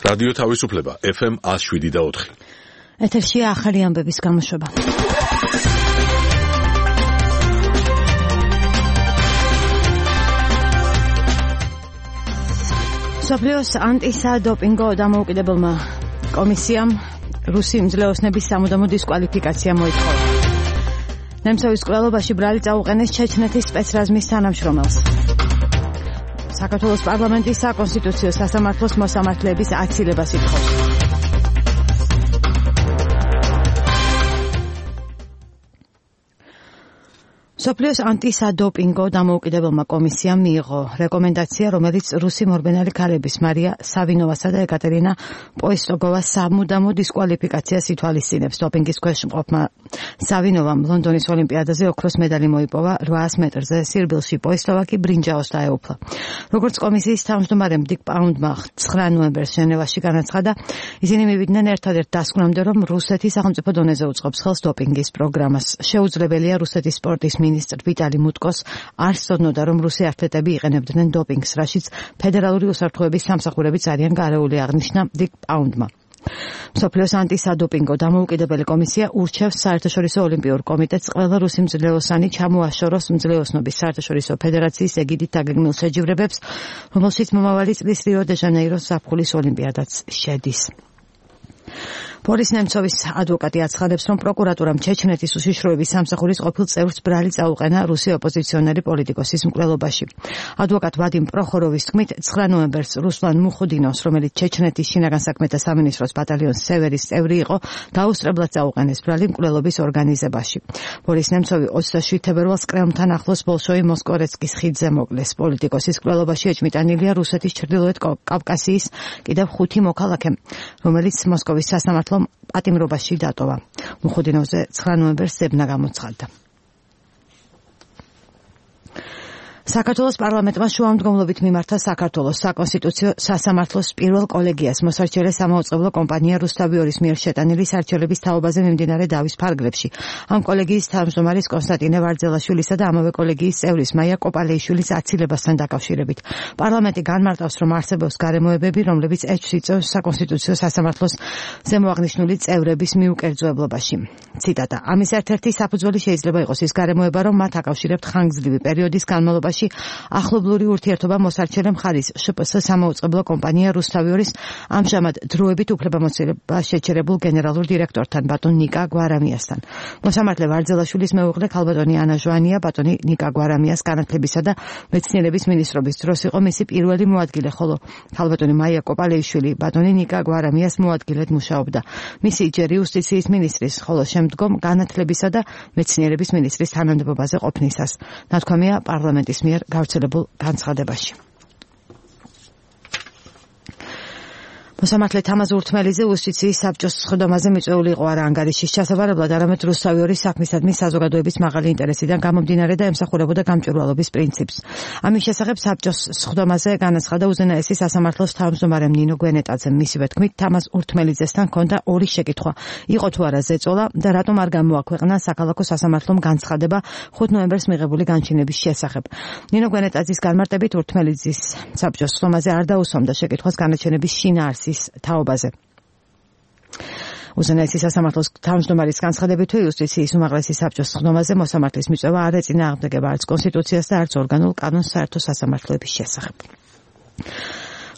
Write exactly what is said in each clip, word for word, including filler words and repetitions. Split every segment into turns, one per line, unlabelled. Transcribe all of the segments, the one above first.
რადიო თავისუფლება ეფ ემ one oh seven და four.
ეთერშია ახალი ამბების გამოშვება. მსოფლიოს ანტისადოპინგო დამოუკიდებელმა კომისიამ რუსი მძლეოსნების სამუდამო დისკვალიფიკაცია მოითხოვა. ნემცოვის კვლელობაში ბრალი წაუყენეს ჩეჩნეთის სპეცრაზმის თანამშრომელს. საქართველოს პარლამენტის საკონსტიტუციო სასამართლოს მოსამართლეების აცილებას ითხოვს. მსოფლიოს ანტისადოპინგო დამოუკიდებელმა კომისიამ მიიღო რეკომენდაცია, რომელიც რუსი მორბენალი ქალების მარია სავინოვასა და ეკატერინა პოისტოგოვას სამუდამო დისკვალიფიკაციას ითვალისწინებს. დოპინგის ქვეშ მყოფმა სავინოვამ ლონდონის ოლიმპიადაზე ოქროს მედალი მოიპოვა რვაას მეტრზე, სირბილში პოისტოვა კი ბრინჯაოს დაეუფლა. როგორც კომისიის თავმჯდომარემ დიკ პაუნდმა ცხრა ნოემბერს ჟენევაში განაცხადა, ისინი მივიდნენ ერთადერთ დასკვნამდე, რომ რუსეთი სახელმწიფო დონეზე უწყობს ხელს დოპინგის პროგრამას. შეუძლებელია რუსეთის სპორტის მინისტრ ვიტალი მუტკოს არ სწოდნოდა, რომ რუსი ათლეტები იყენებდნენ დოპინგს, რაშიც ფედერალური უსაფრთხოების სამსახურებიც არიან გარეული, აღნიშნა დიკ პაუნდმა. მსოფლიოს ანტისადოპინგო დამოუკიდებელი კომისია ურჩევს საერთაშორისო ოლიმპიურ კომიტეტს ყველა რუსი მძლეოსანი ჩამოაშოროს მძლეოსნობის საერთაშორისო ფედერაციის ეგიდით დაგეგმილ შეჯიბრებებს, რომელშიც მომავალი წლის რიო დე ჟანეიროს ზაფხულის ოლიმპიადაც შედის. ბორის ნემცოვის ადვოკატი აცხადებს, რომ პროკურატურამ ჩეჩნეთის უშიშროების სამსახურის ყოფილ წევრს ბრალი წაუყენა რუსი ოპოზიციონერი პოლიტიკოსის მკვლელობაში. ადვოკატ ვადიმ პროხოროვის თქმით, ცხრა ნოემბერს რუსლან მუხუდინოვს, რომელიც ჩეჩნეთის შინაგან საქმეთა სამინისტროს ბატალიონს სევერის წევრი იყო, დაუსწრებლად წაუყენეს ბრალი მკვლელობის ორგანიზებაში. ბორის ნემცოვი ოცდაშვიდ თებერვალს კრემლთან ახლოს ბოლშოი მოსკორეცკის ხიდზე მოკლეს. პოლიტიკოსის მკვლელობაში ეჭმიტანილია რუსეთის ჩრდილოეთ კავკასიის კიდევ ხუთი მოქალაქე, რომელიც მოსკოვის სასამართლო პატიმრობაში დატოვა. მუხუდინოვზე ცხრა ნოემბერს ზებნა გამოცხადდა. საქართველოს პარლამენტმა შუამდგომლობით მიმართა საქართველოს საკონსტიტუციო სასამართლოს პირველ კოლეგიას მოსარჩელე სამაუწყებლო კომპანია რუსთავიორის მიერ შეტანილი სარჩელების თაობაზე მიმდინარე დავის ფარგლებში. ამ კოლეგიის თავმჯდომარის კონსტანტინე ვარძელაშვილისა და ამავე კოლეგიის წევრის მაია კოპალეიშვილის აცილებასთან დაკავშირებით. პარლამენტი განმარტავს, რომ არსებობს გარემოებები, რომლებიც ეჭვს იწვევს საკონსტიტუციო სასამართლოს ზემოაღნიშნული წევრების მიუკერძოებლობაში. ციტატა: ამის ერთ-ერთი საფუძველი შეიძლება იყოს ის გარემოება, რომ მათ აკავშირებთ ხანგრძლივი პერიოდის განმავლობაში ახლობლური ურთიერთობა მოსარჩელე მხარის შპს სამაუწყებლო კომპანია რუსთავიორის ამჟამად დროებით უფლებამოსილება შეჩერებულ გენერალურ დირექტორთან ბატონ ნიკა გვარამიასთან. მოსამართლე ვარძელაშვილის მეუღლე ქალბატონი ანა ჟვანია ბატონი ნიკა გვარამიას განათლებისა და მეცნიერების მინისტრობის დროს იყო მისი პირველი მოადგილე, ხოლო ქალბატონი მაია კოპალეიშვილი ბატონი ნიკა გვარამიას მოადგილედ მუშაობდა. მისი ჯერ იუსტიციის მინისტრის, ხოლო შემდგომ განათლებისა და მეცნიერების მინისტრის თანამდებობაზე ყოფნისას. ნათქვამია პარლამენტის მიერ გავრცელებულ განცხადებაში. მოსამართლე თამაზ ურთმელიძე იუსტიციის საბჭოს სხდომაზე მიწვეული იყო არა ანგარიშის ჩასაბარებლად, არამედ რუსთავიორის საქმისადმი საზოგადოების მაღალი ინტერესიდან გამომდინარე და ემსახურებოდა გამჭვირვალობის პრინციპს. ამის შესახებ საბჭოს სხდომაზე განაცხადა უზენაესი სასამართლოს თავმჯდომარემ ნინო გვენეტაძემ. მისივე თქმით, თამაზ ურთმელიძესთან ჰქონდა ორი შეკითხვა: იყო თუ არა ზეწოლა და რატომ არ გამოაქვეყნა საქალაქო სასამართლომ განცხადება ხუთ ნოემბერს მიღებული განჩინების შესახებ. ნინო გვენეტაძის განმარტებით ურთმელიძის საბჭოს სხდომაზე არ დაუსვამდა შეკითხვას განაჩენების შინაარსის თაობაზე. უზენაესი სასამართლოს თავმჯდომარის განცხადებით, იუსტიციის უმაღლესი საბჭოს სხდომაზე მოსამართლის მიწვევა არ ეწინააღმდეგება არც კონსტიტუციას და არც ორგანულ კანონს საერთო სასამართლოების შესახებ.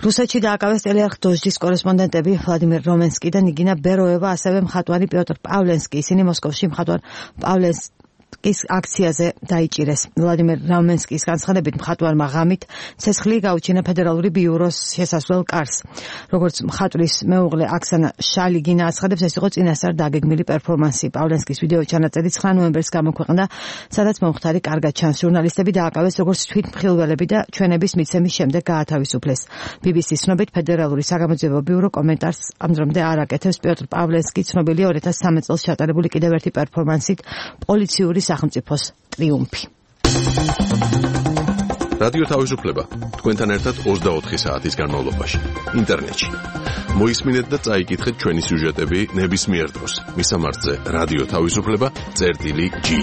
რუსეთში დააკავეს ტელეარხ დოჟდის კორესპონდენტები ვლადიმერ რომენსკი და ნიგინა ბეროევა, ასევე მხატვარი პიოტრ პავლენსკი. ისინი მოსკოვში მხატვარ პავლენსკის აქციაზე დაიჭირეს. ვლადიმერ რომენსკის განცხადებით, მხატვარმა ღამით ცეცხლი გაუჩინა ფედერალური ბიუროს შესასვლელ კარს. როგორც მხატვრის მეუღლე აქსანა შალიგინა აცხადებს, ეს იყო წინასწარ დაგეგმილი პერფორმანსი. პავლენსკის ვიდეო ჩანაწერი ცხრა ნოემბერს გამოქვეყნდა, სადაც მომხდარი კარგად ჩანს. ჟურნალისტები დააკავეს როგორც თვითმხილველები და ჩვენების მიცემის შემდეგ გაათავისუფლეს. ბი ბი სის ცნობით, ფედერალური საგამოძიებო ბიურო კომენტარს ამძრომდე არ აკეთებს. პიოტრ პავლენსკი ცნობილია ორი ათას სამი წელს ჩატარებული კიდევ ერთი პერფორმანსით პოლიციური სახელმწიფოს ტრიუმფი.
რადიო თავისუფლება თქვენთან ერთად ოცდაოთხი საათის განმავლობაში ინტერნეტში. მოისმინეთ და წაიკითხეთ ჩვენი სიუჟეტები ნებისმიერ დროს. მისამართზე რადიო თავისუფლება წერტილი ჯი.